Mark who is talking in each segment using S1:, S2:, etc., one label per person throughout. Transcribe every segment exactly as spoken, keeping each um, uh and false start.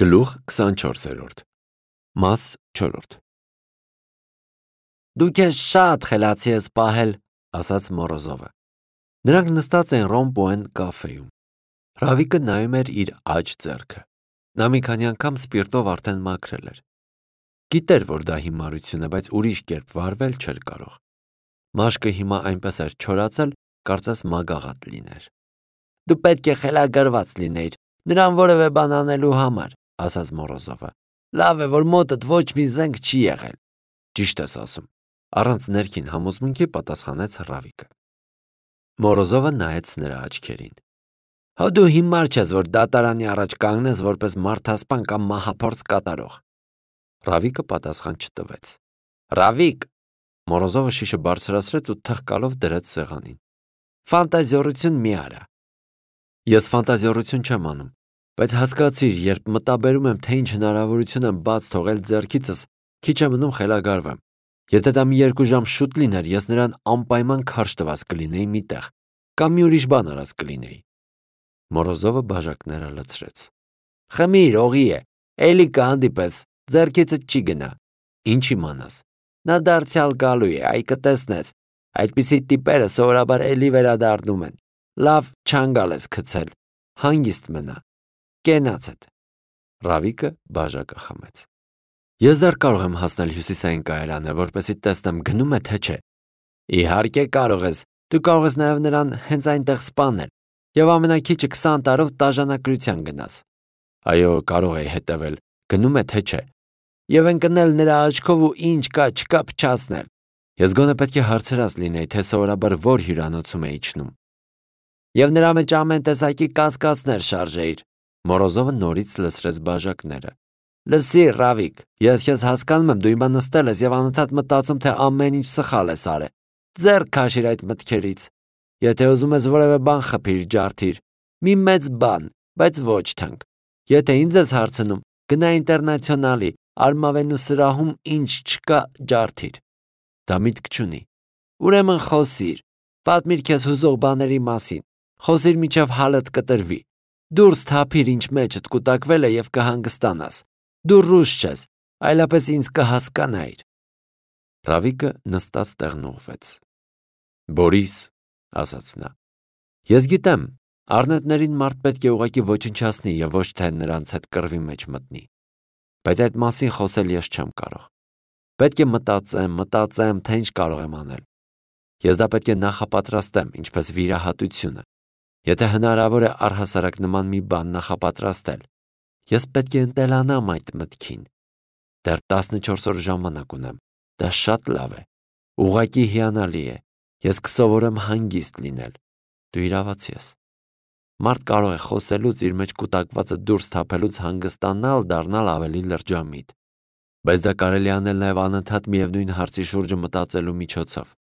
S1: Գլուխ քսանչորսերորդ Մաս չորրորդ
S2: Դու քեզ շատ խելացի ես պահել, ասաց Մորոզովը։ Նրանք նստած էին Ռոմպոեն կաֆեում։ Ռավիկը նայում էր իր աջ ձեռքը։ Նա մի քանի անգամ սպիրտով արդեն մաքրել էր։ Գիտեր, որ դա հիմարություն է, բայց ուրիշ կերպ վարվել չէր կարող։ Մաշկը հիմա այնպես էր չորացել, կարծես մագաղատ լիներ։ Դու պետք է խելագարված լինեիր, նրան որևէ բան անելու համար, ասաց Մորոզովը։ Լավ է, որ մոտդ ոչ մի զենք չի եղել։ Ճիշտ ես ասում, առանց ներքին համոզմունքի պատասխանեց Ռավիկը։ Մորոզովը նայեց նրա աչքերին։ Հո դու հիմար չես, որ դատարանի առաջ կանգնես որպես մարդասպան կամ մահափորձ կատարող։ Ռավիկը պատասխան չտվեց։ Ռավիկ, Մորոզովը շիշը բարձրացրեց ու թղկալով դրեց սեղանին։ Ֆանտազիորություն մի արա։ Ես ֆանտազիորություն չեմ անում, բայց հասկացիր, երբ մտաբերում եմ, թե ինչ հնարավորություն եմ բաց թողել ձեռքիցս, քիչ է մնում խելագարվեմ։ Եթե դա մի երկու ժամ շուտ լիներ, ես նրան անպայման քարշ տված կլինեի մի տեղ, կամ մի ուրիշ բան արած կլինեի։ Մորոզովը բաժակները լցրեց։ Խմիր, օղի է, էլի կհանդիպես, ձեռքիցդ չի գնա։ Ինչ իմանաս։ Նա դարձյալ գալու է, այ կտեսնես։ Այդպիսի տիպերը սովորաբար էլի վերադառնում են։ Լավ չանգալ ես գցել, հանգիստ մնա, կենացդ։ Ռավիկը բաժակը խմեց։ Ես դեռ կարող եմ հասնել հյուսիսային կայարանը, որպեսզի տեսնեմ գնում է թե չէ։ Իհարկե կարող ես, դու կարող ես նաև նրան հենց այնտեղ սպանել եւ ամենաքիչը քսան տարով տաժանակրության գնաս։ Այո, կարող էի հետևել, գնում է թե չէ։ Եվ ընկնել նրա աչքով ու ինչ կա չկա փչացնել։ Ես գոնե պետք է հարցրած լինեի, թե սովորաբար որ հյուրանոցում է իջնում։ Եվ նրա մեջ ամեն տեսակի կասկածներ շարժեիր։ Մորոզովը նորից լցրեց բաժակները։ Լսի, Ռավիկ, ես քեզ հասկանում եմ, դու հիմա նստել ես եւ անընդհատ մտածում, թե ամեն ինչ սխալ ես արել։ Ձեռք քաշիր այդ մտքերից։ Եթե ուզում ես որևէ բան խփիր, ջարդիր։ Մի մեծ բան, բայց ոչ թանկ։ Եթե ինձ ես հարցնում, գնա ինտերնացիոնալի, Արմավենու սրահում ինչ չկա, ջարդիր։ Դա միտք չունի։ Ուրեմն խոսիր, պատմիր քեզ հուզող բաների մասին։ Խոսիր միջև հալդ կտրվի։ Դուրս թափիր, ինչ մեջդ կուտակվել է եւ կհանգստանաս։ Դու ռուս չես, այլապես ինձ կհասկանայիր։ Ռավիկը նստած տեղն ուղղվեց։ Բորիս, ասաց նա, ես գիտեմ, առնետներին մարդ պետք է ուղղակի ոչնչացնի եւ ոչ թե նրանց հետ կռվի մեջ մտնի։ Բայց այդ մասին խոսել ես չեմ կարող։ Պետք է մտածեմ, մտածեմ, թե ինչ կարող եմ անել։ Ես դա պետք է նախապատրաստեմ, ինչպես վիրահատությունը։ Եթե հնարավոր է առհասարակ նման մի բան նախապատրաստել, ես պետք է ընտելանամ այդ մտքին։ Դեռ տասնչորս օր ժամանակ ունեմ։ Դա շատ լավ է։ Ուղղակի հիանալի է։ Ես կսովորեմ հանգիստ լինել։ Դու իրավացի ես։ Մարդ կարող է խոսելուց իր մեջ կուտակվածը դուրս թափելուց հանգստանալ, դառնալ ավելի լրջամիտ։ Բայց դա կարելի անել նաև անընդհատ միևնույն հարցի շուրջը մտածելու միջոցով։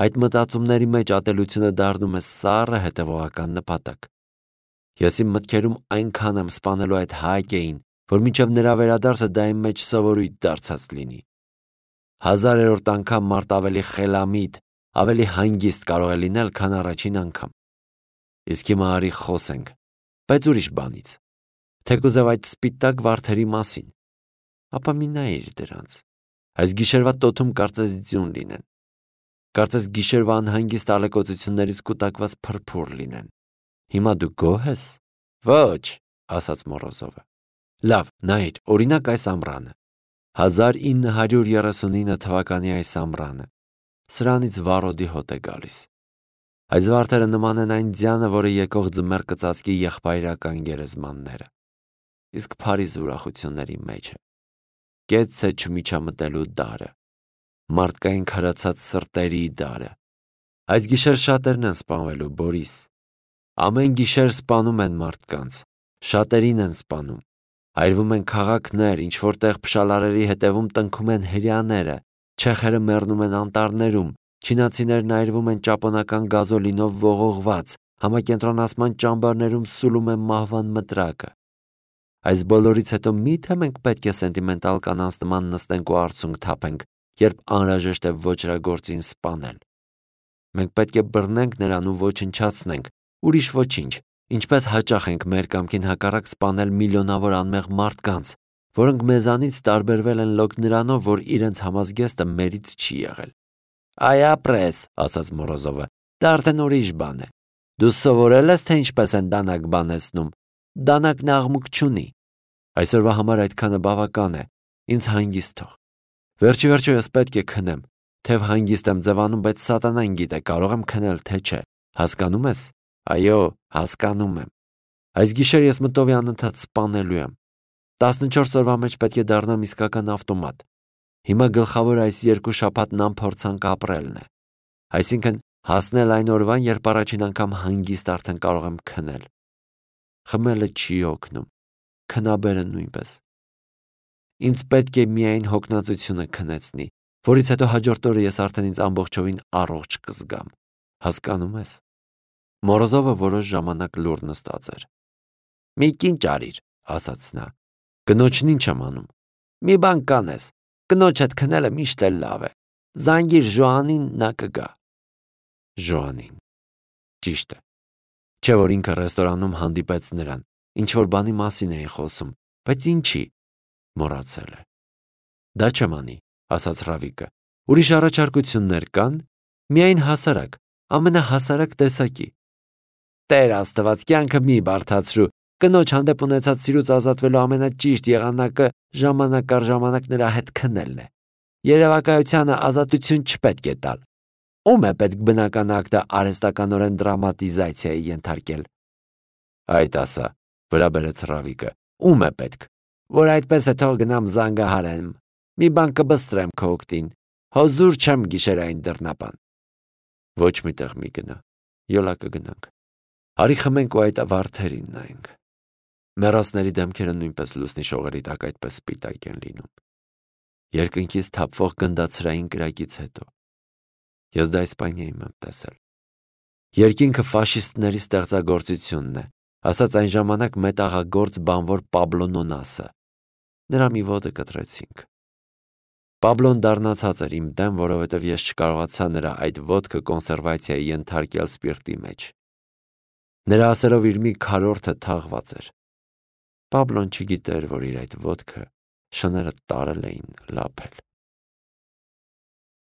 S2: Այդ մտածումների մեջ ատելությունը դառնում է սառը հետևողական նպատակ։ Ես իմ մտքերում այնքան եմ սպանելու այդ Հայկեին, որ մինչև նրա վերադարձը դա իմ մեջ սովորույթ դարձած լինի։ Հազարերորդ անգամ մարդ ավելի խելամիտ, ավելի հանգիստ կարող է լինել, քան առաջին անգամ։ Իսկ հիմա արի խոսենք, բայց ուրիշ բանից։ Թեկուզև այդ սպիտակ վարդերի մասին։ Ապա մի նայիր դրանց։ Այս գիշերվա տոթում կարծես ձյուն լինեն։ Կարծես գիշերվա անհանգիստ ալեկոծություններից կուտակված փրփուր լինեն։ Հիմա դու գոհ ես։ Ոչ, ասաց Մորոզովը։ Լավ, նայիր, օրինակ այս ամռանը։ հազար ինը հարյուր երեսունինը թվականի այս ամռանը։ Սրանից վառոդի հոտ է գալիս։ Այս վարդերը նման են այն ձյանը, որը եկող ձմեռ կծածկի եղբայրական գերեզմանները։ Իսկ Փարիզ ուրախությունների մեջ է։ Կեց է չմիջամտելու դարը, մարդկային քարացած սրտերի դարը։ Այս գիշեր շատերն են սպանվելու, Բորիս։ Ամեն գիշեր սպանում են մարդկանց, շատերին են սպանում։ Այրվում են քաղաքներ, ինչ որտեղ փշալարերի հետևում տնքում են հրեաները, չեխերը մեռնում են անտառներում, չինացիներն այրվում են ճապոնական գազոլինով ողողված, համակենտրոնացման ճամբարներում սուլում են մահվան մտրակը։ Այս բոլորից հետո միթե մենք պետք է սենտիմենտալ կանանց նման նստենք ու արցունք թափենք, երբ անհրաժեշտ է ոճրագործին սպանել։ Մենք պետք է բռնենք նրան ու ոչնչացնենք, ուրիշ ոչինչ, Ինչպես հաճախ ենք մեր կամքին հակառակ սպանել միլիոնավոր անմեղ մարդկանց, որոնք մեզանից տարբերվել են լոկ նրանով, որ իրենց համազգեստը մերից չի եղել։ Այ ապրես, ասաց Մորոզովը, դա արդեն ուրիշ բան է։ Դու սովորել ես, թե ինչպես են դանակ բանեցնում։ Դանակն աղմուկ չունի։ Այսօրվա համար այդքանը բավական է, ինձ հանգիստ թող։ Վերջի վերջո ես պետք է քնեմ, թեև հանգիստ եմ ձևանում, բայց սատանան գիտե կարող եմ քնել, թե չէ, հասկանում ես։ Այո, հասկանում եմ։ Այս գիշեր ես մտովի անընդհատ սպանելու եմ։ տասնչորս օրվա մեջ պետք է դառնամ իսկական ավտոմատ։ Հիմա գլխավոր այս երկու շաբաթն անփորձանք ապրելն է։ Այսինքն հասնել այն օրվան, երբ առաջին անգամ հանգիստ արդեն կարող եմ քնել։ Խմելը չի օգնում, քնաբերը նույնպես։ Ինձ պետք է միայն հոգնածությունը քնեցնի, որից հետո հաջորդ օրը ես արդեն ինձ ամբողջովին առողջ կզգամ։ Հասկանում ես։ Մորոզովը որոշ ժամանակ լուռ նստած էր։ Մի կինչ արիր, ասաց նա։ Կնոջն ինչ եմ անում։ Մի բան կանես, կնոջ հետ քնելը միշտ էլ լավ է։ Զանգիր Ժոանին, նա կգա։ Ժոանին։ Ճիշտ է։ Չէ որ ինքը ռեստորանում հանդիպեց նրան, ինչ որ բանի մասին էին խոսում, բայց ինչի։ Մոռացել է։ Դա չեմ անի, ասաց Ռավիկը։ Ուրիշ առաջարկություններ կան, միայն հասարակ, ամենահասարակ տեսակի։ Տեր Աստված, կյանքը մի բարդացրու։ Կնոջ հանդեպ ունեցած սիրուց ազատվելու ամենաճիշտ եղանակը ժամանակ առ ժամանակ նրա հետ քնելն է։ Երևակայությանը ազատություն չպետք է տալ։ Ում է պետք բնական ակտը արհեստականորեն դրամատիզացիայի ենթարկել։ Այդ ասա, վրա բերեց Ռավիկը։ Ում է պետք։ Որ այդպես է, թող գնամ զանգահարեմ։ Մի բան կբստրեմ քո օգտին։ Հոզուր չեմ գիշերային դռնապան։ Ոչ մի տեղ մի գնա։ Յոլա կգնանք։ Արի խմենք ու այդ վարդերին նայենք։ Մեռածների դեմքերը նույնպես լուսնի շողերի տակ այդպես սպիտակ են լինում։ Երկնքից թափվող գնդացրային կրակից հետո։ Ես դա Իսպանիայում եմ տեսել։ Երկինքը ֆաշիստների ստեղծագործությունն է, ասաց այն ժամանակ մետաղագործ բանվոր Պաբլո Նոնասը։ Նրա մի ոտը կտրեցինք։ Պաբլոն դառնացած էր իմ դեմ, որովհետև ես չկարողացա նրա այդ ոտքը կոնսերվացիայի ենթարկել սպիրտի մեջ։ Նրա ասելով իր մի քարորդը թաղված էր։ Պաբլոն չգիտեր, որ իր այդ ոտքը շները տարել էին լափել։